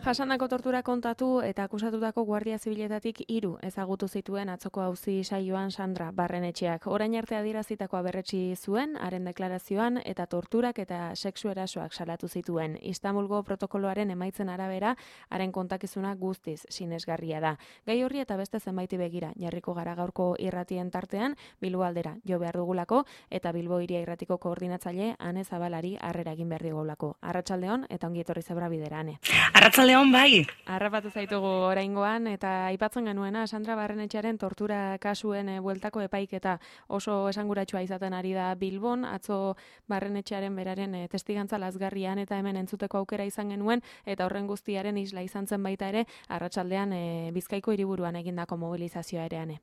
Jasandako tortura kontatu eta akusatutako Guardia Zibiletatik 3 ezagutu zituen atzoko auzi saioan Sandra Barrenetxeak. Orain arte adierazitakoa berretsi zuen, haren deklarazioan eta torturak eta sexu erasoak salatu zituen. Istanbulgo protokoloaren emaitzen arabera, haren kontakizuna guztiz sinesgarria da. Gai horri eta beste zenbaiti begira, jarriko gara gaurko irratien tartean, Bilbo aldera jo behar dugulako eta Bilbo Hiria Irratiko koordinatzaile Ane Zabalari harrera egin behar digulako. Arratsaldeon eta ongi etorri Zebra Bidera, Ane. Arratsaldeon bai. Harrapatu zaitugu oraingoan eta aipatzen genuena Sandra Barrenetxearen tortura kasuen bueltako epaiketa oso esanguratsua izaten ari da Bilbon. Atzo Barrenetxearen beraren testigantza lazgarrian eta hemen entzuteko aukera izan genuen eta horren guztiaren isla izan zen baita ere arratsaldean Bizkaiko hiriburuan egindako mobilizazioa ere, Ane.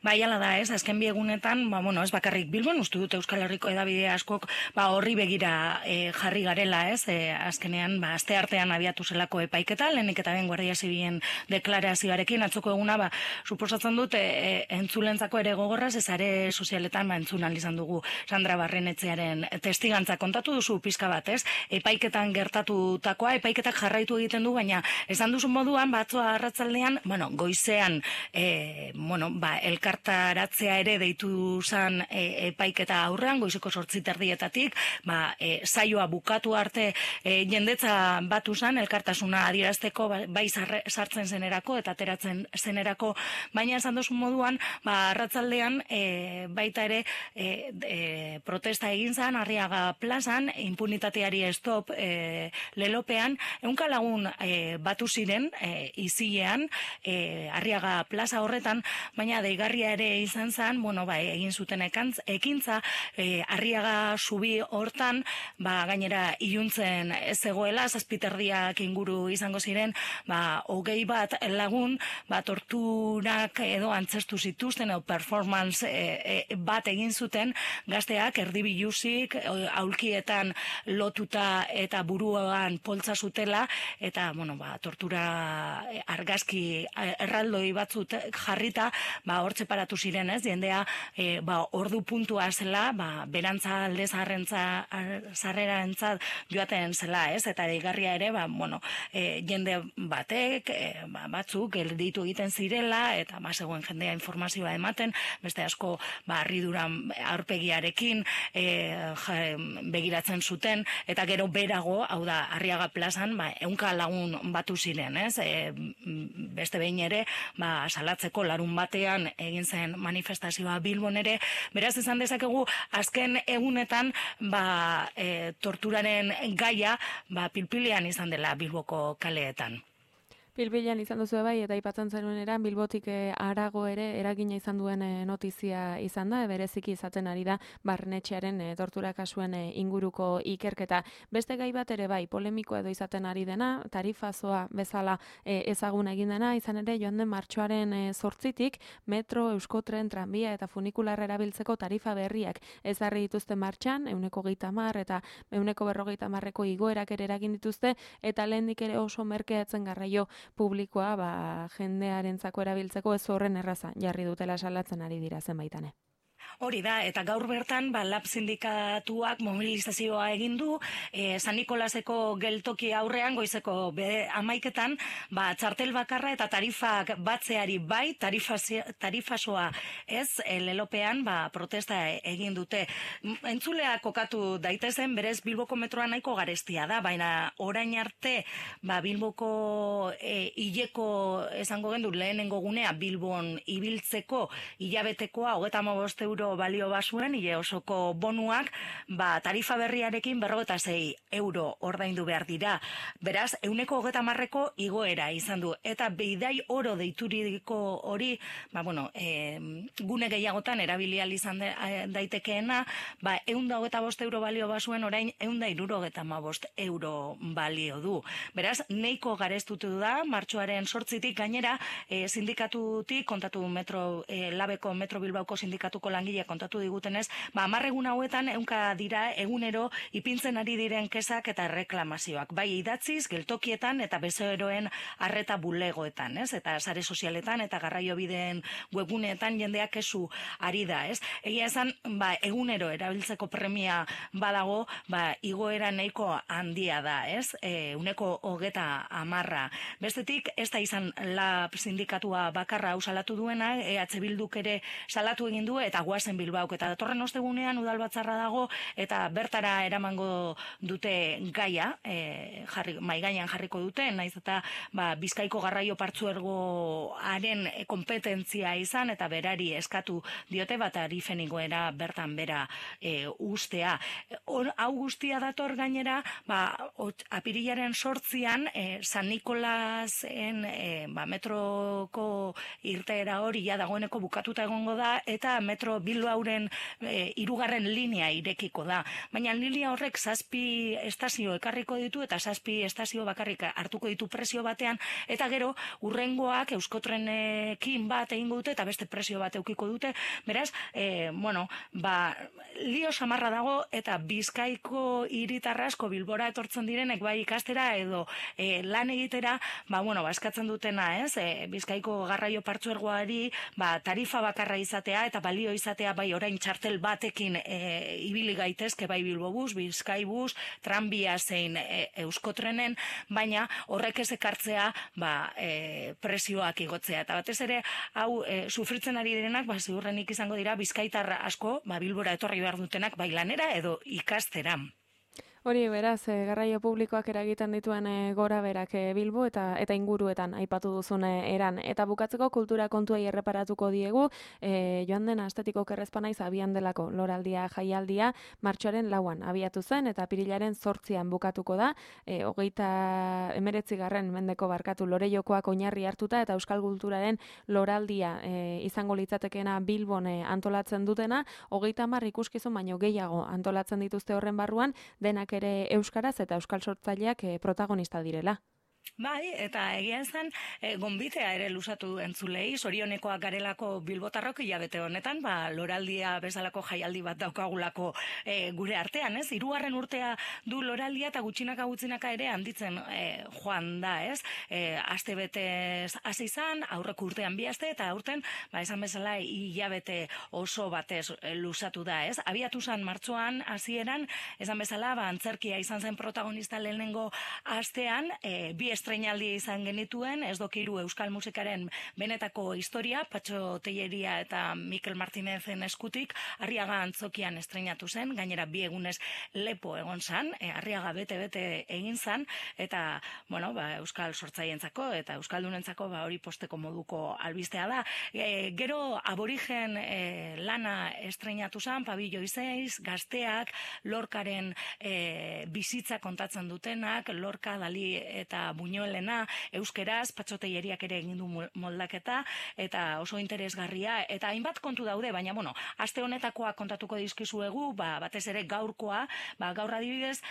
Bai, hala da, ez, azken biegunetan, ez bakarrik Bilbon, uste dut Euskal Herriko edabide askok, horri begira jarri garela, ez, azkenean, aste artean abiatu zelako epaiketa, lehenik eta ben Guardia Zibilen deklarazioarekin, atzoko eguna, suposatzen dut, entzulentzako ere gogorraz, ez are sozialetan, entzun izan dugu Sandra Barrenetxearen testigantza kontatu duzu pizka bat, ez, epaiketan gertatutakoa, epaiketak jarraitu egiten du, baina, esan duzu moduan, batzoa arratsaldean, goizean, elkartaratzea ere deitu zan epaiketa aurrean, goizeko 8:30, saioa bukatu arte jendetza batu zan, elkartasuna adierazteko, bai sartzen zenerako eta ateratzen zenerako, baina esan dozu moduan, arratsaldean baita ere protesta egin zan, Arriaga plazan, impunitateari stop lelopean, 100 lagun batu ziren izilean, Arriaga plaza horretan, baina deigarria ere izan zen, egin zuten ekintza, Arriaga zubi hortan, gainera iluntzen ez zegoela, 7:30 inguru izango ziren, 21 lagun, torturak edo antzestu zituzten, performance bat egin zuten, gazteak erdibiluzik, aulkietan lotuta eta buruan poltsa zutela, eta, tortura argazki erraldoi batzut jarrita, hortxe paratu ziren, ez, jendea, ordu puntua zela, berantza alde zarrerarentzat joaten zela, ez, eta deigarria ere, jende batek, batzuk, gelditu egiten zirela, eta zegoen jendea informazioa ematen, beste asko, harriduran aurpegiarekin begiratzen zuten, eta gero berago, hau da, Arriaga plazan, 100 lagun batu ziren, ez, beste behin ere, salatzeko larun batean egin zen manifestazioa Bilbon ere, beraz izan dezakegu azken egunetan torturaren gaia pilpilean izan dela Bilboko kaleetan. Pilpilean izan duzu bai, eta aipatzen zenueneran Bilbotik harago ere eragina izan duen notizia izan da, bereziki izaten ari da Barrenetxearen tortura kasuen inguruko ikerketa. Beste gai bat ere bai, polemikoa edo izaten ari dena, tarifazoa bezala ezagun egin dena, izan ere joan den martxoaren 8-tik metro, euskotren, tranbia eta funikularra erabiltzeko tarifa berriak ezarri dituzte martxan, 130 eta 150 igoerak ere eragin dituzte, eta lehendik ere oso merkeatzen garraio publikoa jendearentzako erabiltzeko ez horren erraza jarri dutela salatzen ari dira zenbaitane. Hori da, eta gaur bertan, lab sindikatuak mobilizazioa egin du, San Nikolaseko geltoki aurrean, goizeko 11:00, txartel bakarra eta tarifak batzeari bai, tarifasoa ez, lelopean, protesta egin dute. Entzulea kokatu daitezen, berez Bilboko metroa nahiko garestia da, baina orain arte, Bilboko hileko, esango gendu, lehenengo gunea, Bilbon ibiltzeko hilabetekoa, 35 euro balio basuen, hile osoko bonuak, tarifa berriarekin 56 euro ordaindu behar dira. Beraz, 130ko igoera izan du. Eta beidai oro deituriko hori, gune gehiagotan erabilial izan daitekeena, 125 euro balio basuen, orain 175 euro balio du. Beraz, neiko garestutu da, martxoaren 8-tik gainera, sindikatutik, kontatu labeko Metro Bilbaoko sindikatuko langile langile kontatu digutenez, 10 egun hauetan ehunka dira egunero ipintzen ari diren kesak eta reklamazioak, bai idatziz, geltokietan eta bezeroen arreta bulegoetan, ez? Eta sare sozialetan eta garraiobideen webguneetan jendeak kesu ari da, ez? Egia esan, egunero erabiltzeko premia badago, igoera nahiko handia da, ez? 30%. Bestetik, ez da izan LAB sindikatua bakarra hau salatu duena, EH Bilduk ere salatu egin du eta goazen Bilbaok, eta datorren ostegunean udalbatzarra dago eta bertara eramango dute gaia, mahai gainean jarriko dute, naiz eta Bizkaiko garraio partzuergoaren kompetentzia izan eta berari eskatu diote tarifen igoera bertan bera ustea. Hau guztia dator gainera, apirilaren 8an San Nikolasen metroko irteera hori dagoeneko bukatuta egongo da eta metro Bilbaoren 3. linea irekiko da. Baina linea horrek 7 estazio ekarriko ditu eta 7 estazio bakarrik hartuko ditu prezio batean eta gero urrengoak Euskotrenekin bat egingo dute eta beste prezio bat eukiko dute. Beraz, lio samarra dago eta Bizkaiko hiritar asko Bilbora etortzen direnek bai ikastera edo lan egitera, eskatzen dutena, ez? Bizkaiko garraio partzuergoari tarifa bakarra izatea eta balio izatea bai orain txartel batekin ibili gaitezke bai Bilbobus, Bizkaibus, tranbia zein Euskotrenen, baina horrek ez ekartzea prezioak igotzea. Eta batez ere, hau sufritzen ari direnak, ziurrenik izango dira Bizkaitar asko, Bilbora etorri behar dutenak bai lanera edo ikastera. Hori, beraz, garraio publikoak eragiten dituen gora berak Bilbo eta inguruetan aipatu duzun eran. Eta bukatzeko kultura kontuei erreparatuko diegu, joan den astetik okerrezpa naiz abian delako loraldia jaialdia martxoaren 4an abiatu zen eta apirilaren 8an bukatuko da, 19. mendeko Lore-jokoak oinarri hartuta eta euskal kulturaren loraldia izango litzatekeena Bilbon antolatzen dutena, 30 ikuskizun baino gehiago antolatzen dituzte horren barruan, denak ere euskaraz eta euskal sortzaileak protagonista direla. Bai, eta egia zen, gonbitea ere luzatu entzulei, zorionekoak garelako bilbotarrok hilabete honetan, loraldia bezalako jaialdi bat daukagulako gure artean, ez? 3. urtea du loraldia eta gutxinaka ere handitzen joan da, ez? Aste betez hasi izan, aurreko urtean 2 aste, eta aurten, esan bezala, hilabete oso batez luzatu da, ez? Abiatu zen martxoan hasieran, esan bezala, antzerkia izan zen protagonista lehenengo astean, 2 estreinaldi izan genituen, ez dokiru euskal musikaren benetako historia, Patxo Telleria eta Mikel Martinezen eskutik, Arriaga Antzokian estreinatu zen, gainera 2 egunez lepo egon zen, Arriaga bete egin zen, eta, euskal sortzaientzako eta euskaldunentzako hori posteko moduko albistea da. Gero aborigen lana estreinatu zen, Pabillo 6, gazteak, Lorcaren bizitza kontatzen dutenak, Lorca, Dali eta Buñuelena, euskeraz, Patxo Telleriak ere egin du moldaketa, eta oso interesgarria, eta hainbat kontu daude, baina, aste honetakoa kontatuko dizkizuegu, batez ere gaurkoa, gaur adibidez,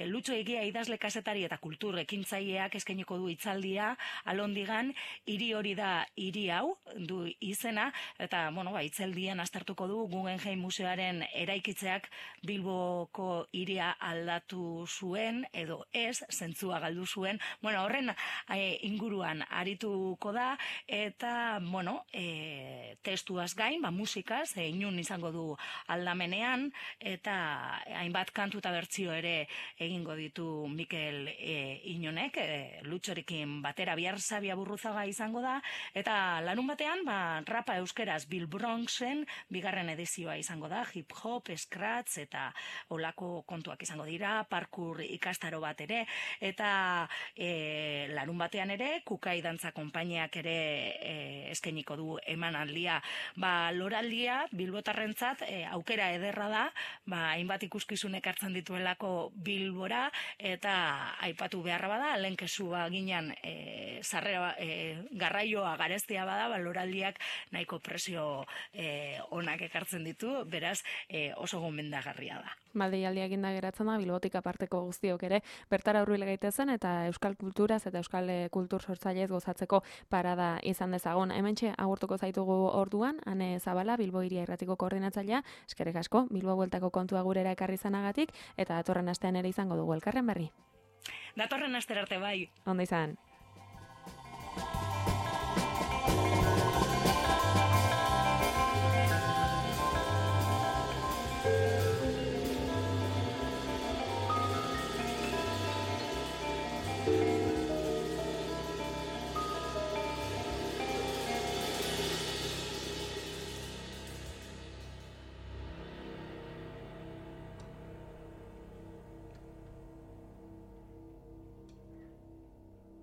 Lutxo Egia idazle kazetari eta kultur ekintzaileak eskainiko du hitzaldia, Alondigan, hiri hori da hiri hau, du izena, eta, hitzaldian aztertuko du Guggenheim Museoaren eraikitzeak Bilboko hiria aldatu zuen, edo ez, zentzua galdu zuen, horren inguruan arituko da, eta, testuaz gain, musikaz, inun izango du aldamenean, eta hainbat kantu eta bertsio ere egingo ditu Mikel Inonek, Lutxorekin batera, bihar Sabia Burruzaga izango da, eta larun batean, rapa euskeraz Bill Bronxen 2. edizioa izango da, hip-hop, scratch, eta olako kontuak izango dira, parkour ikastaro bat ere, eta larun batean ere, Kukai Dantza konpainiak ere eskainiko du emanaldia. Loraldia, bilbotarrentzat, aukera ederra da, hainbat ikuskizunek hartzen dituelako Bilbora, eta aipatu beharra bada, lehen kesua ginen garraioa garestia bada, loraldiak nahiko presio onak ekartzen ditu, beraz oso gomendagarria da. Deialdia eginda geratzen da, Bilbotik aparteko guztiok ere, bertara hurbil gaitezen eta euskal kultura kulturaz eta euskal kultur sortzailez gozatzeko parada izan dezagon. Hementxe agurtuko zaitugu orduan, Ane Zabala, Bilbo Hiria Irratiko koordinatzailea, eskerrik asko, Bilbo bueltako kontua gurera ekarri izanagatik, eta datorren astean ere izango dugu elkarren berri. Datorren astera arte bai. Ondo izan.